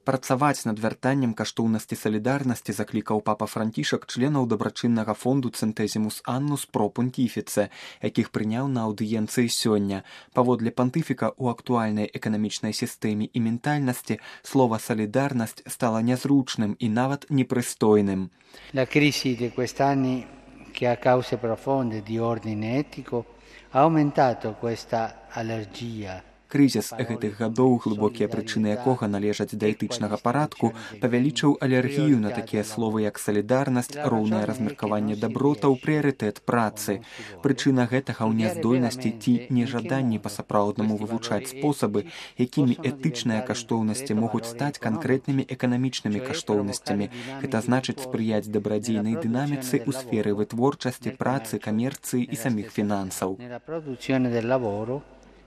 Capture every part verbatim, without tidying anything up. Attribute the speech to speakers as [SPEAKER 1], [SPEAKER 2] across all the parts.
[SPEAKER 1] Працаваць над вяртаннем каштоўнасці салідарнасці заклікаў папа Францішак членаў дабрачыннага фонду Цэнтэзімус Аннус Про Пунтіфіце, якіх прыняў на аўдыенцыі сёння. Паводле пантыфіка, у актуальнай эканамічнай сістэме і ментальнасці слова «салідарнасць» стала нязручным і нават непрыстойным.
[SPEAKER 2] La crisi di quest'anni, che ha cause profonde di ordine etico, ha aumentato questa allergia.
[SPEAKER 1] Крызіс гэтых гадоў, глыбокія прычыны якога належаць да этычнага парадку, павялічыў алергію на такія словы, як салідарнасць, роўнае размеркаванне дабротаў, прыярытэт працы. Прычына гэтага ў няздольнасці ці нежаданні па-сапраўднаму вывучаць спосабы, якімі этычныя каштоўнасці могуць стаць канкрэтнымі эканамічнымі каштоўнасцямі. Гэта значыць спрыяць дабрадзейнай дынаміцы ў сферы вытворчасці, працы, камерцыі і саміх фінансаў.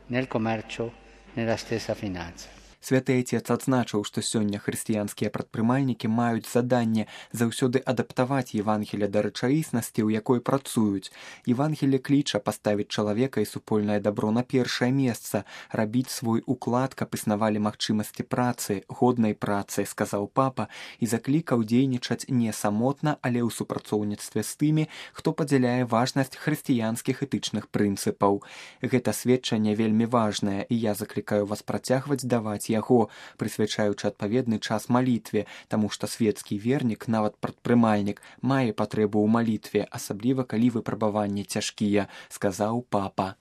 [SPEAKER 2] Nel commercio, nella stessa finanza.
[SPEAKER 1] Святы Отец адзначыў, што сёння хрысціянскія прадпрымальнікі маюць заданне заўсёды адаптаваць Евангелле да рэчаіснасці, у якой працуюць. Евангелле кліча паставіць чалавека і супольнае дабро на першае месца, рабіць свой уклад, каб існавалі магчымасці працы, годнай працы, сказаў папа, і заклікаў дзейнічаць не самотна, але ў супрацоўніцтве з тымі, хто падзяляе важнасць хрысціянскіх этычных прынцыпаў. Гэта сведчанне вельмі важнае, і я заклікаю вас працягваць даваць яго, прысвячаючы адпаведны час малітве, таму што светскі вернік, нават прадпрымальнік, мае патрэбу ў малітве, асабліва калі выпрабаванні цяжкія, сказаў папа.